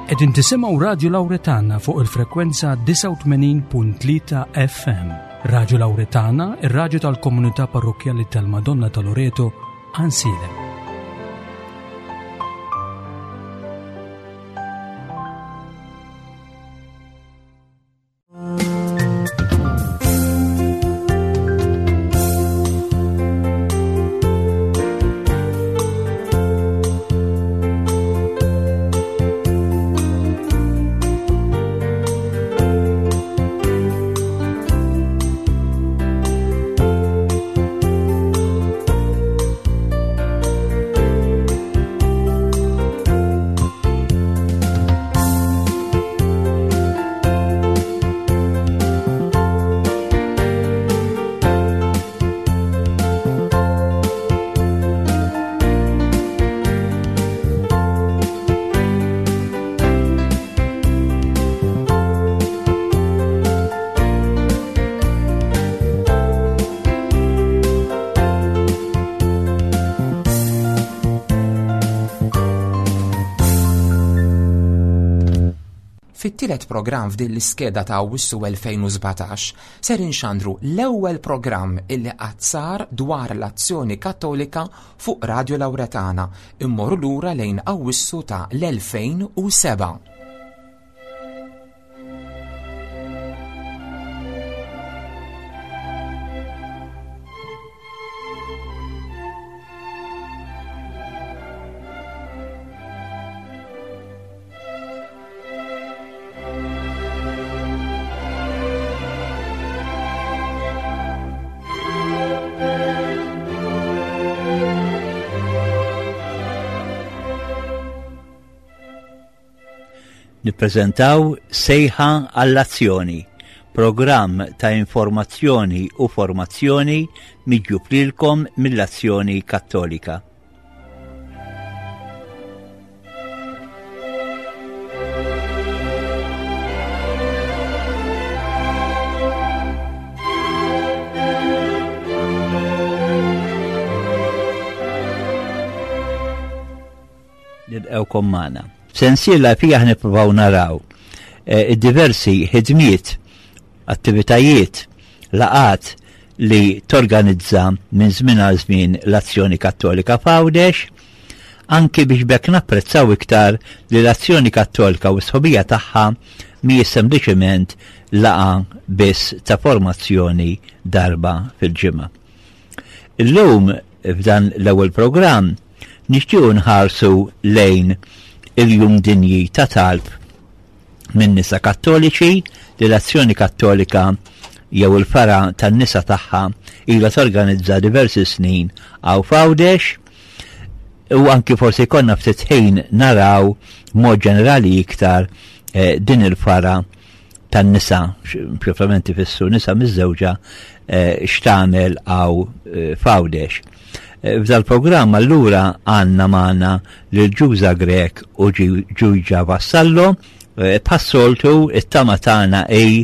Qegħdin tisimgħu Radju Lawretana fuq il-frekwenza 89.3 FM. Radju Lawretana, ir-radju tal-komunità parrokkjali tal-Madonna ta' Loreto, Ansilem. Fit-tielet programm f'din l-iskeda ta' Awwissu 2017 ser inxandru l-ewwel programm illi qatt sar dwar l-Azzjoni Kattolika fuq Radio Lauretana immorru lura lejn Awwissu ta' l-2007. Nippreżentaw Sejħa għall-Azzjoni, programm ta' informazzjoni u formazzjoni miġjub lilkom mill-Azzjoni Kattolika. Nilqgħukom magħna. Sensiela fija nippruvaw naraw eh, id-diversi ħidmiet, attivitajiet, laqat li torganizza minn żmien għal żmien l-Azzjoni Kattolika f'Għawdex, anki biex b'hekk napprezzaw iktar li l-Azzjoni Kattolika u s-sħubija tagħha mhijiex sempliċement laqgħa biss ta' formazzjoni darba fil-ġimgħa. Illum f'dan l-ewwel programm nixtiequ nħarsu lejn il-Jum Dinji ta' Talb minn nisa Kattoliċi li l-Azzjoni Kattolika jew il-fara tan-nisa tagħha ilha torganizza diversi snin hawn f'Għawdex u anki forsi jkollna ftit ħin naraw mod ġenerali iktar eh, din il-fara tan-nisa, proprjament ifissru nisa miżżewġa eh, x'tagħmel għaw eh, f'Għawdex. Eh, f'dal-programm allura għandna magħna lil Ġuża Grech u Ġuġa Vassallo, bħas-soltu it-tama tagħna hi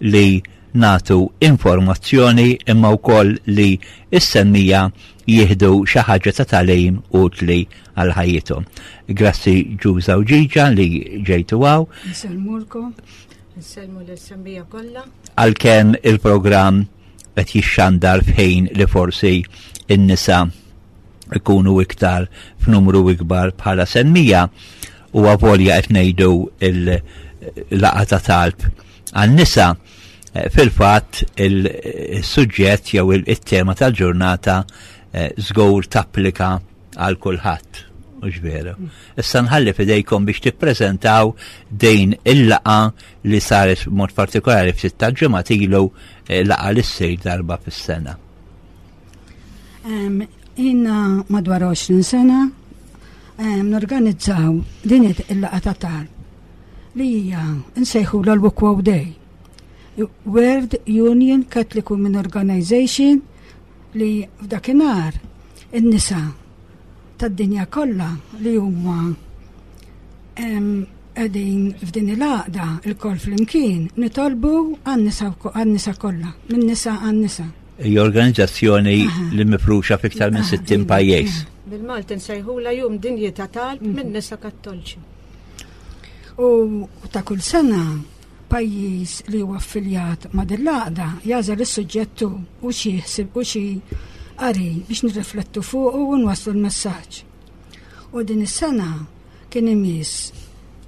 li nagħtu informazzjoni imma wkoll li s-semmija jieħdu xi ħaġa ta' tagħlim utli għal ħajjithom. Grazzi Ġuża u Ġiġa li ġejtu hawn. Nsellmulkom, nsellmu lis-semmija kollha. Għalkemm il-programm qed jixxandar f'ħin li forsi n-nisa ikunu iktar f'numru ikbar bħala semmija u avolja qed ngħidu il-laqgħa ta' talb għan-nisa eh, fil-fatt il-suġġett jew il-tema tal-ġurnata eh, żgur tapplika għal kulħadd. Mhux veru. Issa nħalli fidejkom biex tippreżentaw din il-laqa li saret mod partikolari ftit tal-ġimgħat ilu eh, laqa li ssir darba fis-sena. Inna madwar 20 sena norganizzaw din il-laqa ta' talb li hija nsejħu l-Wukwow Day. World Union Catholic Women Organization li f'dakinhar in-nisa tad-dinja kollha li huma qegħdin f'din il-għaqda il-kol flimkien nitolbu għan-nisa kollha, min-nisa għan-nisa. Hija organizzazzjoni li mifruxa f'iktar minn 60 pajjiż. Bil-Malti nsejħula jum dinji ta' talb mhm. minn nisa kattolċi. U ta' kull sena pajjiż li huwa affiljat ma' din l-għaqda jagħżel is-suġġett hu u xi ħsieb u xi qari biex nirriflettu fuqu u nwasslu l-messaġġ. U din is-sena kien imiss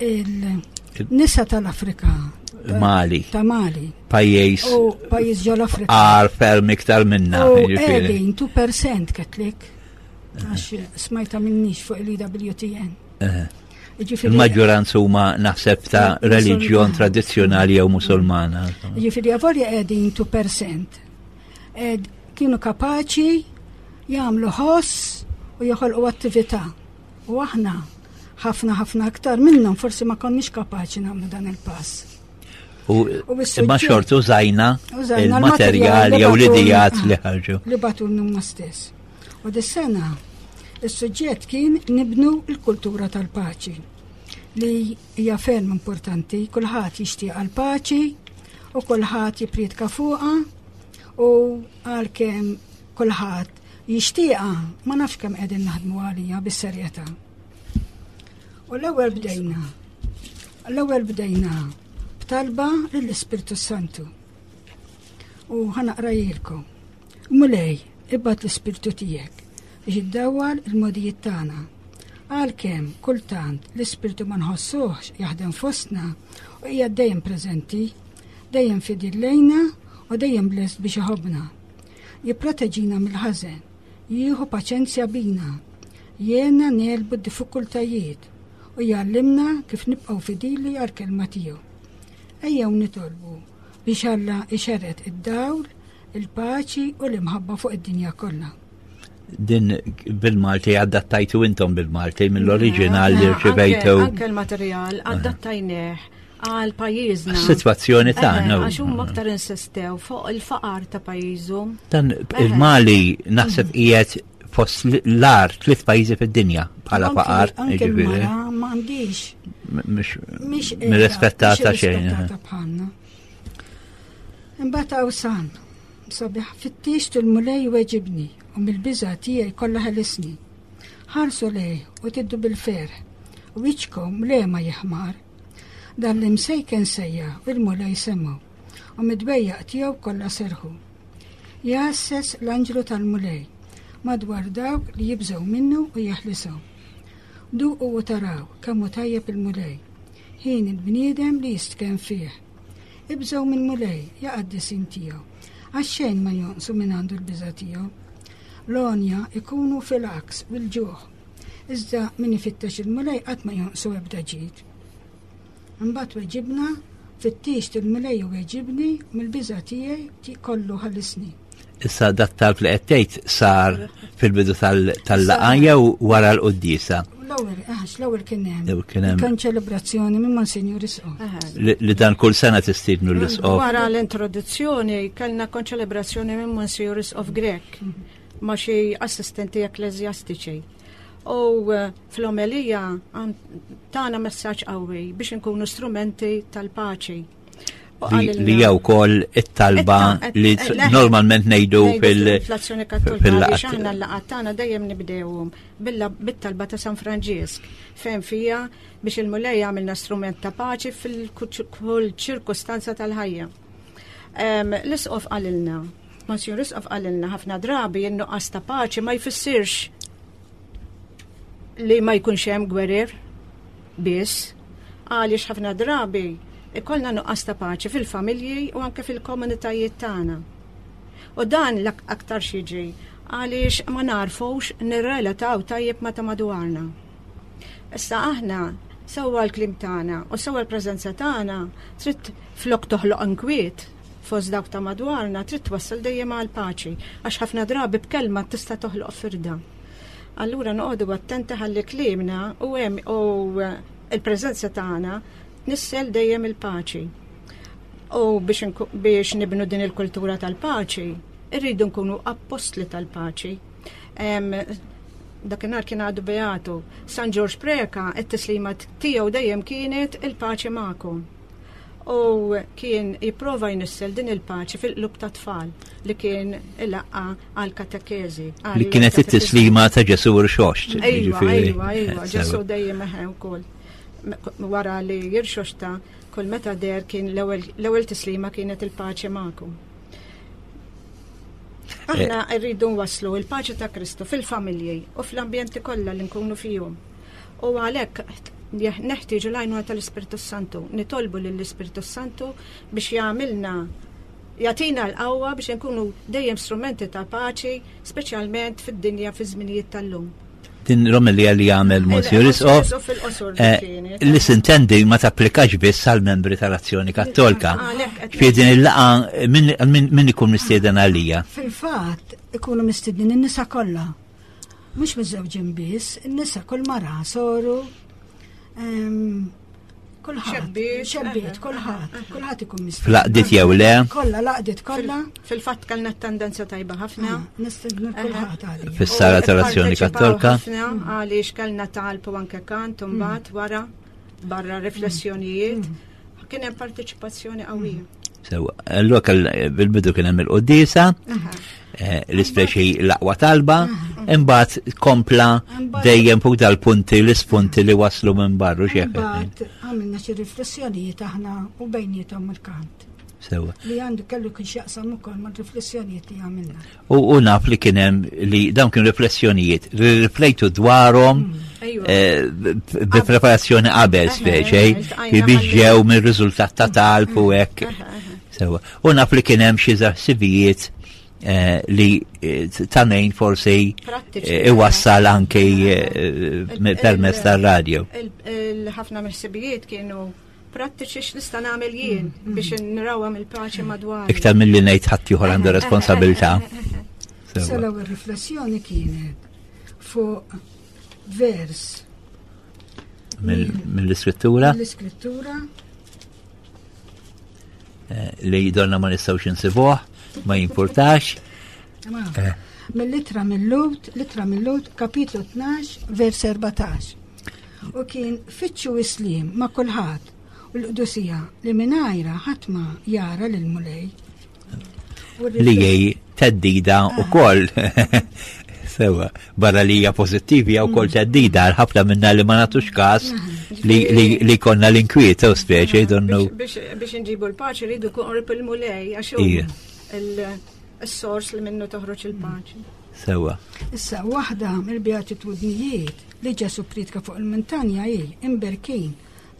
il-nisa tal-Afrika. Mali. Ta' Mali. Pajjiż. U pajjiż ġol Afrika. Għar ferm iktar minna. U qegħdin 2% Catholic. Għax smajta minnix fuq il-EWTN. Il-maġġoranza huma naħseb ta' reliġjon tradizzjonali jew musulmana. Ġifieri avolja qegħdin 2%. Kienu kapaċi jagħmlu ħoss u joħolqu attività. U aħna ħafna ħafna aktar minnhom forsi ma konniex kapaċi nagħmlu dan il-pass. U imma xort użajna il-materjal jew l-idijat li ħarġu. Li batu huma stess. U dis-sena is-suġġett kien nibnu l-kultura tal-paċi li hija ferm importanti, kulħadd jixtieq għall-paċi u kulħadd jippriedka fuqha u għalkemm kulħadd jixtieqha ma nafx kemm qegħdin naħdmu għalija bis-serjetà. U l-ewwel bdejna. L-ewwel bdejna b'talba lill-Ispirtu Santu. U ħanaqrajilkom. Mulej, ibgħat l-Ispirtu tiegħek biex iddawwal il-mogħdijiet tagħna. Għalkemm kultant l-Ispirtu ma nħossuhx jaħdem fostna u qiegħed dejjem preżenti, dejjem fidil lejna u dejjem lest biex iħobbna. Jipproteġina mill-ħażen, jieħu paċenzja bina, jgħinna negħlbu d-diffikultajiet u jgħallimna kif nibqgħu fidili għall-kelma tiegħu. Ejjew nitolbu biex Alla ixerred id-dawl, il-paċi u l-imħabba fuq id-dinja kollha. Din bil-Malti adattajtu intom bil-Malti mill-oriġinal li rċivejtu. Anke l-materjal adattajnieh għal pajjiżna. Situazzjoni tagħna. Għax huma aktar insistew fuq il-faqar ta' pajjiżhom. Dan il-Mali naħseb qiegħed fost l-ar tliet pajjiżi fid-dinja bħala faqar. Anke m'għandix. Mhix rispettata xejn. Imbagħad hawn san, sabiħ fittixt il-Mulej weġibni u mill-biża' tiegħi kollha ħelisni. Ħarsu lejh u tiddu bil-ferħ, u wiċċkom le ma jiħmar. Dan l-imsejken sejjaħ u l-Mulej semgħu, u mid-dwejjaq tiegħu kollha serħu. Jgħasses l-anġlu tal-Mulej madwar dawk li jibżgħu minnu u jeħlishom. Duqu u taraw kemm hu tajjeb il-Mulej, ħin il-bniedem li jistkenn fih. Ibżgħu mill-Mulej, ja qaddisin tiegħu, għax xejn ma jonqsu minn għandu l-biża' tiegħu. L-għonja ikunu fil-għaks u l-ġuħ, iżda min ifittex il-Mulej qatt ma jonqsu ebda ġid. Imbagħad weġibna, Fittixt il-Mulej u weġibni, mill-biża' tiegħi kollu ħallisni. Issa dat talb li qed tgħid sar fil-bidu tal-laqgħa jew wara l-quddiesa? L-ewwel, għax l-ewwel kien hemm. Kien hemm. Kien ċelebrazzjoni minn Monsinjur Isqof. Li dan kull sena tistiednu l-Isqof. Wara l-introduzzjoni kellna konċelebrazzjoni minn Monsinjur Isqof Grek ma' xi assistenti ekkleżjastiċi. U eh, fl-omelija tana messaġġ qawwi biex inkunu strumenti tal-paċi. Li jew wkoll it-talba li normalment ngħidu fil-Azzjoni Kattolika biex aħna l-laqgħat tagħna dejjem nibdewhom bit-talba ta' San Franġisk fejn fija biex il-Mulej jagħmilna strument ta' paċi fil-kull ċirkustanza tal-ħajja. L-isqof qalilna, Monsignor Isqof qalilna ħafna drabi n-nuqqas ta' paċi ma jfissirx li ma jkunx hemm gwerer biss, għaliex ħafna drabi ikollna nuqqas ta' paċi fil-familji u anke fil-komunitajiet tagħna. U dan l-aktar xiġi għaliex ma narfux nirrelataw tajjeb ma ta' madwarna. Issa aħna sewwa l-kliem tagħna u sewwa l-preżenza tagħna trid flok toħloq inkwiet fost dawk ta' madwarna trid twassal dejjem għal paċi għax ħafna drabi b'kelma tista' toħloq firda. Allura noqogħdu attenti ħalli kliemna u hemm u l-preżenza tagħna tnissel dejjem il-paċi. U biex, biex nibnu din il-kultura tal-paċi, irridu nkunu appostli tal-paċi. Dakinhar kien għadu beatu. San Ġorġ Preka, it-tislima tiegħu dejjem kienet il-paċi magħkom. U kien jipprova jnissel din il-paċi fil-qlub ta' tfal li kien ilaqqa għal katekeżi. Li kienet it-tislima ta' Ġesu rxoxt. Ejwa, ejwa, ejwa, Ġesu dejjem eħe wkoll. wara li jirxoxta kull meta der kien l-ewwel tislima kienet il-paċi magħkom. Aħna eh. rridu nwasslu il-paċi ta' Kristu fil-familji u fl-ambjenti kollha li nkunu fihom. U għalhekk neħtieġu l-għajnuna tal-Ispirtu Santu, nitolbu lill-Ispirtu Santu biex jagħmilna jagħtina l-qawwa biex nkunu dejjem strumenti ta' paċi, speċjalment fid-dinja fi żminijiet tal-lum. Din l-omelija li għamel Monsignor Isqof eh, li sintendi ma tapplikax biss għal membri tal-Azzjoni Kattolka. Fi din il-laqa min ikun mistieden għalija? Fil-fatt ikunu mistiednin in-nisa kollha. Mhux miżżewġin biss, in-nisa kull mara soru Kulħadd, xebbiet, kulħadd, kulħadd ikun mistieden. Flaqdiet jew le? Kollha laqdiet kollha. Fil-fatt kellna tendenza tajba ħafna. Ah, nistednu kulħadd għalija. Fis-sala tal-Azzjoni Kattolka. Għaliex kellna talb u anke kant u mbagħad mm. wara barra riflessjonijiet. Mm. Kien hemm partiċipazzjoni qawwija. Mm. Sewa, allura bil-bidu kien hemm il-qoddisa, eh, l-ispeċi l-aqwa talba, imbagħad kompla dejjem fuq dal-punti l-ispunti li waslu minn barru xi Imbagħad għamilna xi riflessjonijiet aħna u bejniethom il-kant. Sewa. Li għandu kellu kien x'jaqsam ukoll mar-riflessjonijiet li għamilna. U naf li kien hemm li dawn kienu riflessjonijiet li riflejtu dwarhom mm. eh, bi preparazzjoni qabel speċi li biex ġew mir-riżultat ta' talb u hekk. Sewa. U naf li kien hemm xi ħsibijiet eh, li eh, ta' min forsi iwassal anke permezz tar-radio. Il-ħafna mill-ħsibijiet kienu prattiċi x'nista' nagħmel jien mm, mm. biex nrawhom il-paċi madwar. Iktar milli ngħid ħadd ieħor għandu responsabilità. Sa l-ewwel riflessjoni kienet fuq vers mill-iskrittura. Mill-iskrittura. Eh, li donna ma nistgħux insibuh, ma jimpurtax. Eh. Mill-litra mill-Lut, litra mill-Lut, kapitlu 12, vers 14. U kien fittxu is-sliem ma' kulħadd u l-qdusija li mingħajrha ħadd ma jara lill-Mulej. Li hi teddida wkoll. Sewa, barra li hija pożittivi jew wkoll mm. teddida għal ħafna minna li ma nagħtux każ li konna l-inkwiet u speċi donnu. Biex nġibu l-paċi rridu qrib il-Mulej għax il-sors li minnu toħroġ il-paċi. Sewa. Issa waħda mill-beatitudnijiet li Ġesù ppriedka fuq il-muntanja hi, Imberkin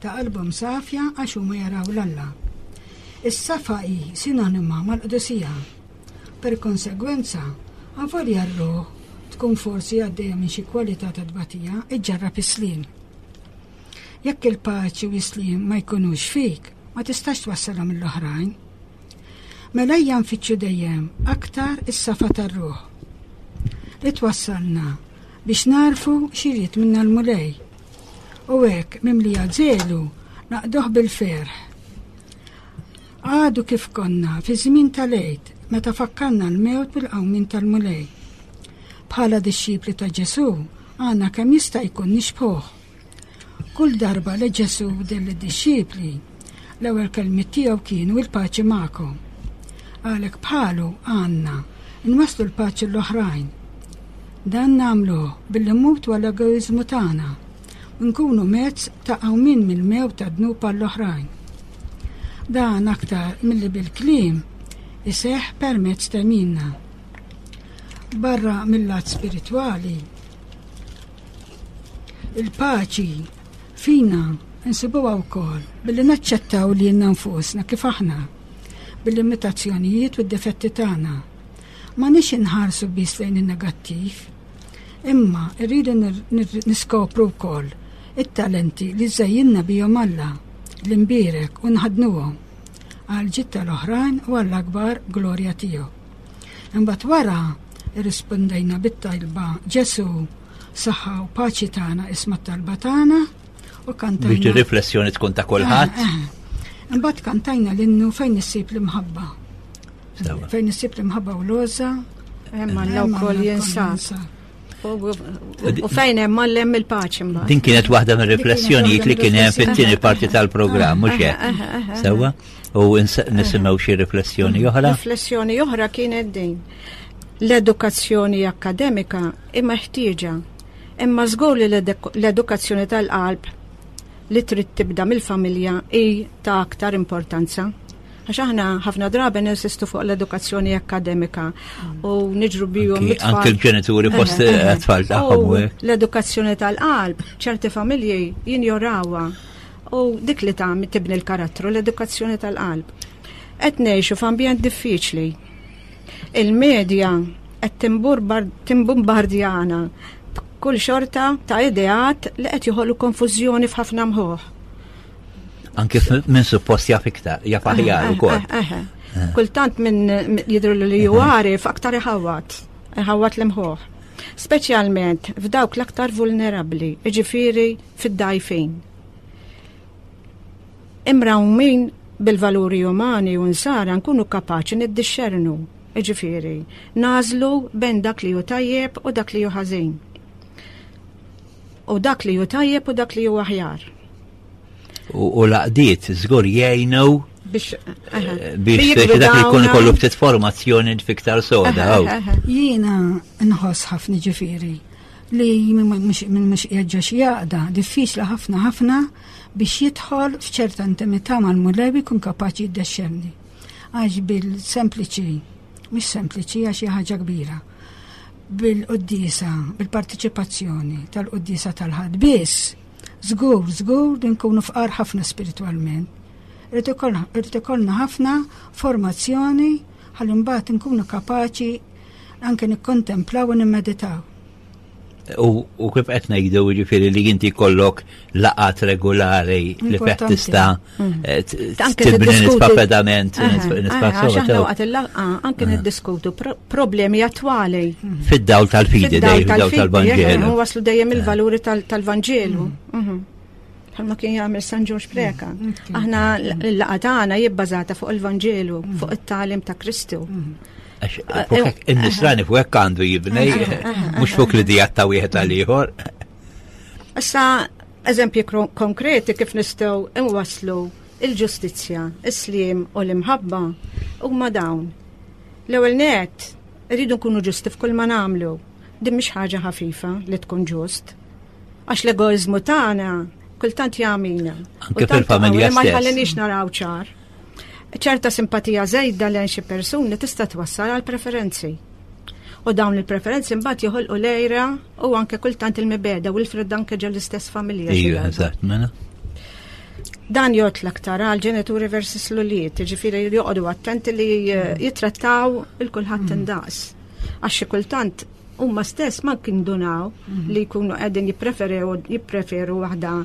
ta' qalbhom safja għax huma jaraw 'l Alla. Is-safa hi sinonima mal-qdusija. Per konsegwenza, avolja r-ruħ tkun forsi għaddejja minn xi kwalità ta' tbatija, iġġarrab is-sliem. Jekk il-paċi u s-sliem ma jkunux fik, ma tistax twassalhom lill-oħrajn. Mela ejja nfittxu dejjem aktar is-safa tar-ruħ li twassalna biex nagħrfu x'irid minna l-Mulej. U hekk mimlija żelu naqduh bil-ferħ. Għadu kif konna fi żmien tal-Għid meta fakkarna l-mewt bil-qawmien tal-Mulej. Bħala dixxipli ta' Ġesù għandna kemm jista' jkun nixbħuh. Kull darba li Ġesù deher lid-dixxipli, l-ewwel kelmiet tiegħu kienu il-paċi magħkom. Għalhekk bħalu għandna nwasslu l-paċi l-oħrajn. Dan nagħmluh billi mmutu għall-egoiżmu tagħna u nkunu mezz ta' qawmien mill-mewt tad-dnub għall-oħrajn. Dan aktar milli bil-kliem iseħħ permezz t'għemilna. Barra mil-lat spiritwali, Il-paċi fina nsibuha wkoll billi naċċettaw lilna nfusna kif aħna, bil-limitazzjonijiet u d-difetti tagħna. M'għandniex inħarsu biss lejn in-negattiv, imma rridu niskopru wkoll it-talenti li żejjinna bihom Alla l-imbierek u nħaddnuhom għal ġid tal-oħrajn u għall-akbar glorja tiegħu. Imbagħad wara irrispondejna bit-talba Ġesu saħħa u paċi tagħna isma' t-talba tagħna u kantajna. Biex riflessjoni tkun ta' kulħadd. Eh, eh. Imbagħad kantajna l-innu fejn issib l-imħabba. Fejn issib l-imħabba u l-għoża. Hemm għandna wkoll jinsab. U fejn hemm għallem il-paċi mbagħad. Din kienet waħda mir-riflessjonijiet li kien hemm fit-tieni parti tal-programm, mhux hekk. Sewwa? U nisimgħu xi riflessjoni oħra? Riflessjoni oħra kienet din. L-edukazzjoni akkademika hi meħtieġa, imma żgur li l-edukazzjoni tal-qalb li trid tibda mill-familja hi ta' aktar importanza. Għax aħna ħafna drabi ninsistu fuq l-edukazzjoni akkademika u niġru bihom it-tfal. Anke l-ġenituri fost it-tfal tagħhom. L-edukazzjoni tal-qalb, ċerti familji jinjorawha u dik li tagħmel tibni l-karattru, l-edukazzjoni tal-qalb. Qed ngħixu f'ambjent diffiċli. Il-medja qed timbumbardjana b'kull xorta ta' ideat li qed joħolqu konfużjoni f'ħafna mħuħ. Anke minn suppost jaf iktar, jaf aħjar ukoll. Kultant minn jidru li ju għarif aktar iħawat, iħawat l-imħuħ. Speċjalment f'dawk l-aktar vulnerabbli, jiġifieri fid-dajfin. Imrawmin bil-valuri umani u nsara nkunu kapaċi niddixxernu, jiġifieri, nagħżlu bejn dak li hu tajjeb u dak li hu ħażin. U dak li hu tajjeb u dak li hu aħjar. U l-għaqdiet żgur jgħinu biex eh, biex dak li jkun ikollu ftit formazzjoni fiktar soda. Jiena nħoss ħafna ġifieri li minn mhux qiegħed xi għaqda diffiċli ħafna ħafna biex jidħol f'ċerta intimità mal-Mulej jkun kapaċi jiddexxerni. Għax bil-sempliċi, mhux sempliċi għax hija ħaġa kbira, bil-quddiesa, bil-partiċipazzjoni tal-quddiesa tal-Ħadd biss, żgur, żgur li nkunu fqar ħafna spiritwalment. Irid ikollna ħafna formazzjoni ħalli mbagħad nkunu kapaċi anke nikkontemplaw u nimmeditaw. U kif qed ngħidu jiġifieri li inti jkollok laqat regolari li fih tista' mm. eh, tibni nitfa' pedament nitfa' Waqt il-laqgħa anke niddiskutu problemi attwali. Mm. Fid-dawl tal-fidi, fid-dawl tal-Vanġelu. Waslu dejjem il-valuri tal-Vanġelu. Mm. Mhm. Bħalma kien jagħmel San Ġorġ Preka. Aħna l-laqgħa tagħna jibbażata fuq il-Vanġelu, fuq it-tagħlim ta' Kristu. Eh, in-nisrani fuq hekk għandu jibni, mhux fuq li dijat ta' wieħed għal ieħor. Issa eżempji konkreti kif nistgħu nwasslu il-ġustizzja, is-sliem u l-imħabba huma dawn. L-ewwel net irridu nkunu ġusti f'kull ma nagħmlu. Din mhix ħaġa ħafifa li tkun ġust. Għax l-egoiżmu tagħna kultant jagħmilna. Anke fil-familja Ma jħallinix naraw ċar. Ċerta simpatija żejda lejn xi persuni tista' twassal għal preferenzi. U dawn il-preferenzi mbagħad joħolqu lejra u anke kultant il-mibeda u l-fred anke ġol l-istess familja. Ija, eżatt, mela. Dan jgħod l-aktar għal ġenituri versus l-ulied, ġifieri joqogħdu attenti li eh, jitrattaw il-kulħadd mm. indaqs. Għax xi kultant huma stess ma kindunaw mm. li jkunu qegħdin jippreferu jippreferu waħda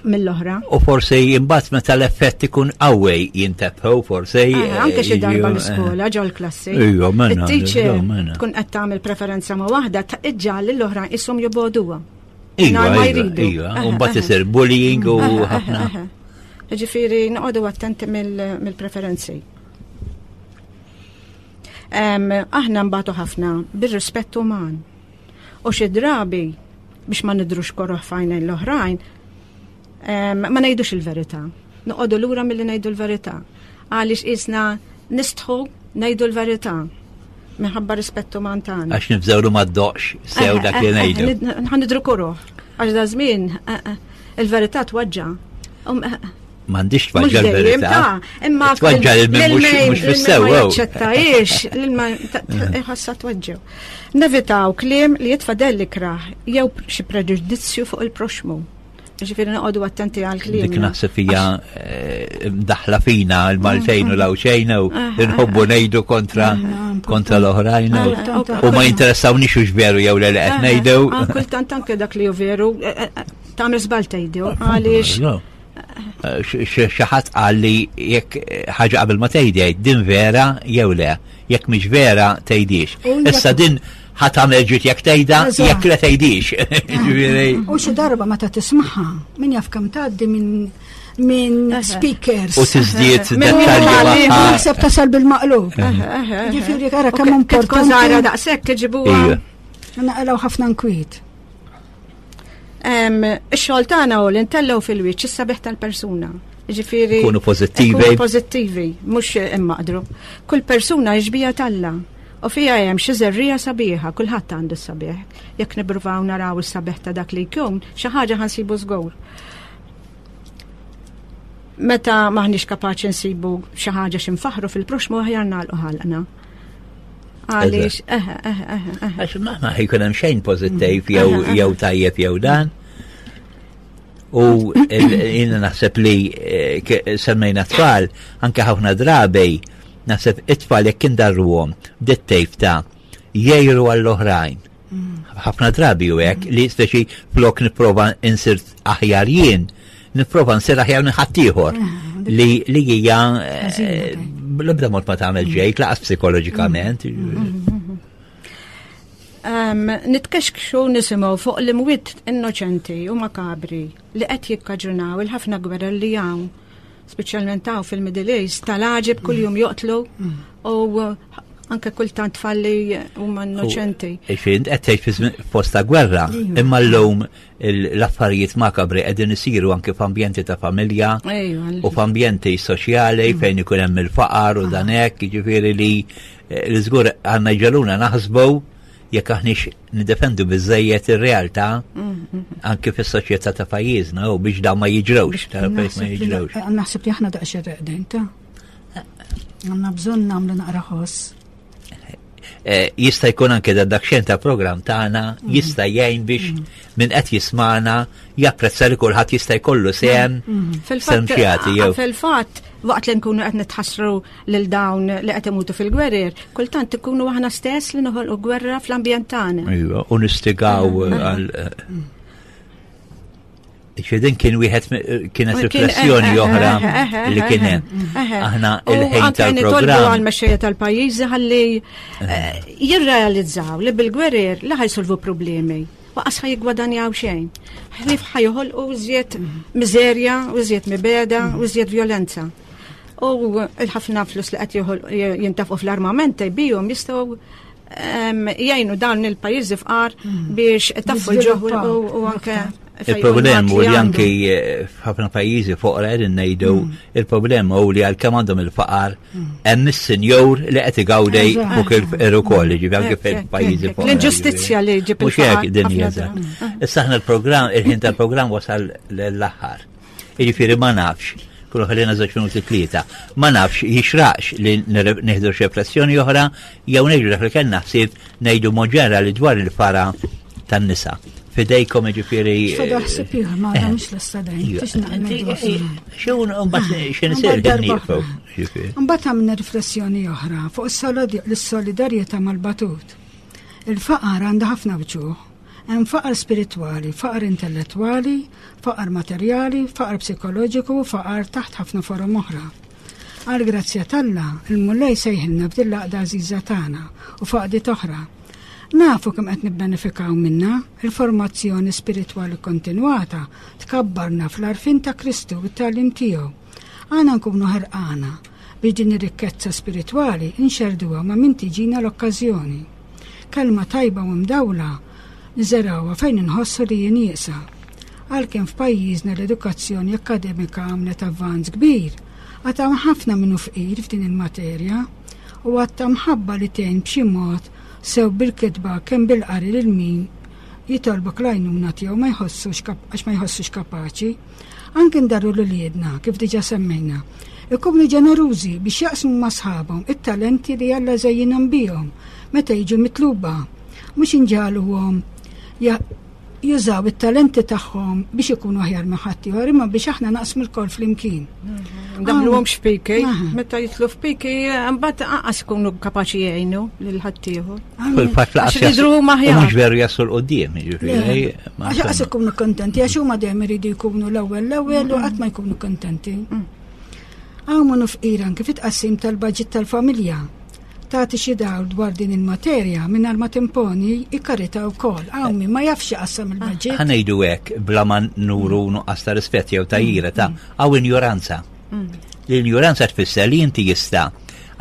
mill-oħra. U forsi imbagħad meta l-effett ikun qawwi jintebħu forsi. Eh, anke xi darba eh, l-iskola ġol klassi. Ejja, mela. It-teacher tkun qed tagħmel preferenza ma' waħda iġġal l-oħra ishom joboduha. Iva, iva, iva, u mbagħad isir bullying u ħafna. Ġifieri noqogħdu attenti mill-preferenzi. Aħna mbagħtu ħafna bir-rispett uman. U xi drabi biex ma nidrux koroħ f'għajnejn l-oħrajn, ma ngħidux il-verità. Noqogħdu lura milli ngħidu l-verità. Għaliex qisna nistħu ngħidu l-verità minħabba rispett uman tagħna. Għax nibżgħu ma ddoqx sew dak li ngħidu. Ħa nidru koroħ. Għax da żmien eh, eh, il-verità tweġġa'. Um, eh, M'għandix twaġġa l-verità. Imma twaġġa lil min mhux fis-sew. Jaċċettajiex lil ma ħassa tweġġew. Nevitaw kliem li jitfa' dell ikrah jew xi preġudizzju fuq il-proxmu. Ġifieri noqogħdu attenti għal kliem. Dik naħseb hija eh, daħla fina l-Maltejn u l-Għawxejn u nħobbu ngħidu kontra kontra l-oħrajn u ma jinteressawniex hux veru jew le li qed ngħidu. Kultant anke dak li hu veru eh, eh, tagħmel żball tgħidu għaliex xi ħadd qal li jekk ħaġa qabel ma tgħidi jgħid din vera jew le, jekk mhix vera tgħidix. Issa din ħa tagħmel ġid jekk tgħidha jekk le tgħidix. U xi darba meta tismagħha min jaf kemm tgħaddi minn minn speakers. U tiżdied dettalji. Naħseb tasal bil-maqlub. Ġifieri ara kemm importanti. Żgħira daqshekk iġibuha. Naqilgħu ħafna nkwiet. Ix-xogħol tagħna hu li ntellgħu fil-wiċċ is-sabiħ tal-persuna. Ġifieri Kunu pożittivi. Kunu pożittivi, mhux immaqdru. Kull persuna xbija talla. U fija hemm xi żerrija sabiħa, kulħadd għandu s-sabiħ. Jekk nippruvaw naraw is-sabiħ ta' dak li jkun, xi ħaġa ħansibu żgur. Meta maħniex kapaċi nsibu xi ħaġa xi nfaħru fil-proxmu aħjar nagħlqu ħalqna. Għaliex, eħe, eħe, eħe. Għax ma ma jkun hemm xejn pożittiv jew jew tajjeb jew dan. U jiena naħseb li eh, semmejna tfal, anke ħafna drabi, naħseb it-tfal jekk indarruhom dit-tejf ta' jgħiru għall-oħrajn. Ħafna drabi u hekk li speċi flok nipprova insir aħjar jien, nipprova nsir aħjar minn ħaddieħor ah, li li hija eh, l-ebda mod ma tagħmel mm. ġejt laqas psikoloġikament. Mm, mm, Nitkexkxu nisimgħu fuq l-imwiet innoċenti u makabri li qed jikkaġunaw il-ħafna gwerer li hawn speċjalment hawn fil-Middle East, tal-għaġeb kuljum joqtlu u anke kultant tfalli huma innoċenti. Ixin, qed tgħid fost ta' gwerra, imma llum l-affarijiet makabri qegħdin isiru anke f'ambjenti ta' familja u f'ambjenti soċjali mm. fejn ikun hemm il-faqar u dan hekk, jiġifieri li eh, li żgur għandna jġaluna naħsbu jekk aħniex nidefendu biżejjed ir-realtà mm, mm, mm. anke fis-soċjetà ta' pajjiżna u biex dawn ma jiġrewx, ma jiġrewx. Eh, naħseb li aħna daqsxejn reqdin ta' għandna bżonn nagħmlu naqra ħoss. Eh, jista' jkun anke da dakxen ta' program tagħna jista' jgħin biex min qed jismana japprezza li kulħadd jista' jkollu sehem sehem xjati jew. Fil-fatt, waqt li nkunu qed nitħassru lil dawn li qed imutu fil-gwerer, kultant ikunu aħna stess li noħolqu gwerra fl-ambjent tagħna. Iva, u nistigaw għal Ċedin kien wieħed kienet riflessjoni eh, oħra eh, eh, li kien hemm. Aħna il-ħin tal-programm. għal-mexxejja tal-pajjiżi ħalli jirrealizzaw li bil-gwerer li ħajsolvu problemi u qas ħaj jiggwadanjaw xejn. Ħlief ħajħolqu iżjed miżerja, u iżjed mibeda, u iżjed violenza. U il-ħafna flus li qed jintafqu fl-armament bijhom jistgħu jgħinu dawn il-pajjiżi fqar mm. biex taffu l-ġoħ u anke Il-problem u li anki eh, f'ħafna pajjiżi foqra qegħdin ngħidu mm. il-problema u li għalkemm għandhom il-faqar mm. hemm is-sinjur li qed igawdej fuq il-fqir ukoll, ġifi anke fil-pajjiżi foqra. L-inġustizzja li ġib Mhux hekk din hija. Issa aħna l-programm, il-ħin tal-programm wasal l-aħħar. Jiġifieri ma nafx, kullu ħallina żewġ minuti tlieta, ma nafx jixraqx li nieħdu xi riflessjoni oħra jew ngħidu dak li kellna ħsieb ngħidu mod ġenerali dwar il-fara tan-nisa. Fidejkom jiġifieri. Fada ħsieb ieħor ma eh. mhux lesta dejjem. Xew mbagħad xi nisir nieqfu. Mbagħad għamilna riflessjoni oħra fuq is-solidarjetà mal-batut. Il-faqar għandha ħafna wċuħ Hemm faqar spiritwali, faqar intellettwali, faqar materjali, faqar psikoloġiku u faqar taħt ħafna forom oħra. Għall-grazzja t'Alla, il-Mulej sejħilna f'din l-għaqda għażiża tagħna u f'għaqdiet oħra. Nafu kemm qed nibbenefikaw minnha, il-formazzjoni spiritwali kontinwata tkabbarna fl-għarfien ta' Kristu u t-tagħlim tiegħu. Għana nkunu ħerqana biex din ir-rikkezza spiritwali nxerrduha ma' min tiġina l-okkażjoni. Kelma tajba u mdawla niżergħuha fejn inħossu li hi nieqsa. Għalkemm f'pajjiżna l-edukazzjoni akkademika għamlet avvanz kbir, għad hawn ħafna min hu fqir f'din il-materja u għad ta' mħabba li tgħin b'xi mod sew bil-kitba kemm bil-qari lil min jitolbok l-għajnuna tiegħu ma jħossux għax ma jħossux kapaċi. Anki ndarru 'l uliedna, kif diġà semmejna, ikunu ġenerużi biex jaqsmu ma' sħabhom it-talenti li Alla żejjinhom bihom meta jiġu mitluba, mhux inġagħluhom jużaw it-talenti tagħhom biex ikunu aħjar minn ħaddieħor, imma biex aħna naqsmu lkoll flimkien. Daħluhomx f'piki, meta jidħlu f'piki, mbagħad anqas ikunu kapaċi jgħinu lil ħaddieħor. Fil-fatt laqas jidru huma aħjar. Mhux veru jaslu l-qudiem, jiġifieri. Għax laqas ikunu kontenti, għax huma dejjem iridu jkunu l-ewwel l-ewwel u qatt ma jkunu kontenti. Mm. Hawn hu fqir anke fit-tqassim tal-baġit tal-familja. Tagħti xi dawl dwar din il-materja mingħajr ma timponi i-karità wkoll. Hawn min ma jafx iqassam il-baġit. Ħa ngħidu hekk bla ma nuru nuqqas ta' rispett jew ta' ira ta' hawn injoranza. Mm. L-injoranza tfisser li inti jista'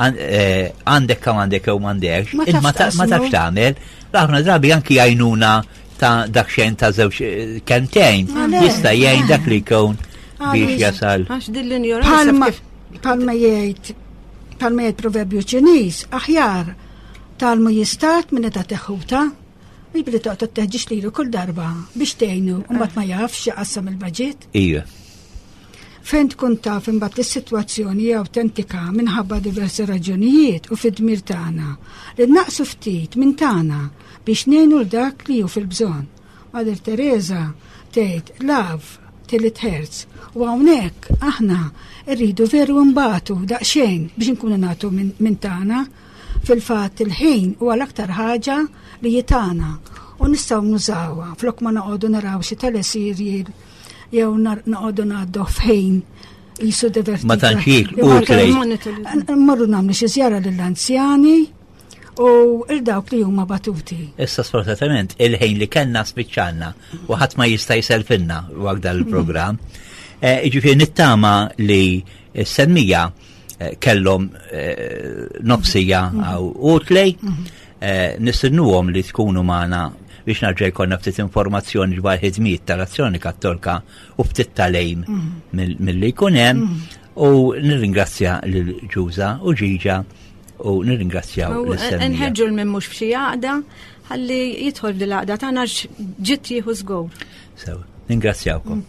eh, għandek kemm għandek jew m'għandekx, ma tafx tagħmel, ħafna drabi anki għajnuna ta' dak xejn ta' żewġ eh, kentejn jista' jgħin dak li jkun biex jasal. Għax din l-injoranza. Palma jgħid palma jgħid proverbju Ċiniż, aħjar talmu jistat minn ta' teħuta, mhux billi toqgħod teħġiex lilu kull darba biex tgħinu u mbagħad ma jafx jaqassam il-baġit. Ija. Fejn tkun taf imbagħad li s-sitwazzjoni hija awtentika minħabba diversi raġunijiet u fid-dmir tagħna li naqsu ftit minn tagħna biex ngħinu l dak li hu fil-bżonn. Mother Teresa tgħid love till it hurts u hawnhekk aħna rridu veru nbatu daqsxejn biex inkunu nagħtu minn tagħna. Fil-fatt il-ħin huwa l-aktar ħaġa li jitana u nistgħu nużawha flok ma noqogħdu naraw xi teleserial jew noqogħdu ngħaddu f'ħin jisu divertit. Ma tantx jiklu utli. Mmorru nagħmlu xi żjara lill-anzjani u il dawk li huma batuti. Issa sfortunatament il-ħin li kellna spiċċanna u ħadd ma jista' jselfinna waqt dan il-programm. Eh, jiġifieri nittama li s-semmija eh, kellhom eh, nofsija għaw utli, mhm. nistennuhom li tkunu magħna biex narġa' jkollna ftit informazzjoni dwar ħidmiet tal-Azzjoni Kattolka u ftit talejm mhm. milli jkun hemm mhm. u nirringrazzja lil Ġuża u Ġiġa u nirringrazzjaw l Nħeġġu l-min mhux f'xi għaqda ħalli jidħol f'dil għaqda tagħna ġitt jieħu żgur. Sew, ningrazzjawkom.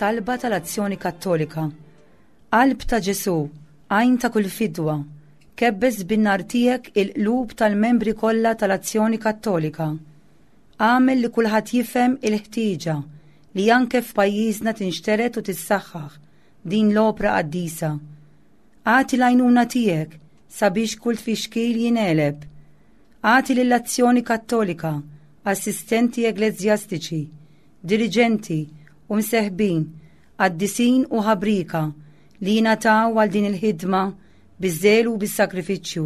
Talba tal-Azzjoni Kattolika. Qalb ta' Ġesù, għajn ta' kull fidwa, kebbes bin-nar tiegħek il-qlub tal-membri kollha tal-Azzjoni Kattolika. Agħmel li kulħadd jifhem il-ħtieġa li anke f'pajjiżna tinxtered u tissaħħaħ din l-opra qaddisa. Agħti l-għajnuna tiegħek sabiex kull tfixkil jingħeleb. Agħti lill-Azzjoni Kattolika assistenti eglezjastiċi, diriġenti u mseħbin, qaddisin u ħabrieka li jingħataw għal din il-ħidma biż-żelu u bis-sagrifiċċju.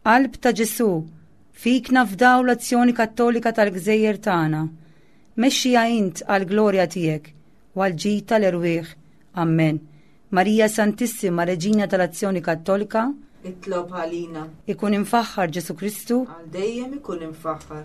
Qalb ta' Ġesù, fik nafdaw l-azzjoni kattolika tal-gżejjer tagħna. Mexxiha int għall-glorja tiegħek u għall-ġid tal-erwieħ. Ammen. Marija Santissima, Reġina tal-Azzjoni Kattolika, Itlob għalina. Ikun imfaħħar Ġesù Kristu. Għal dejjem ikun imfaħħar.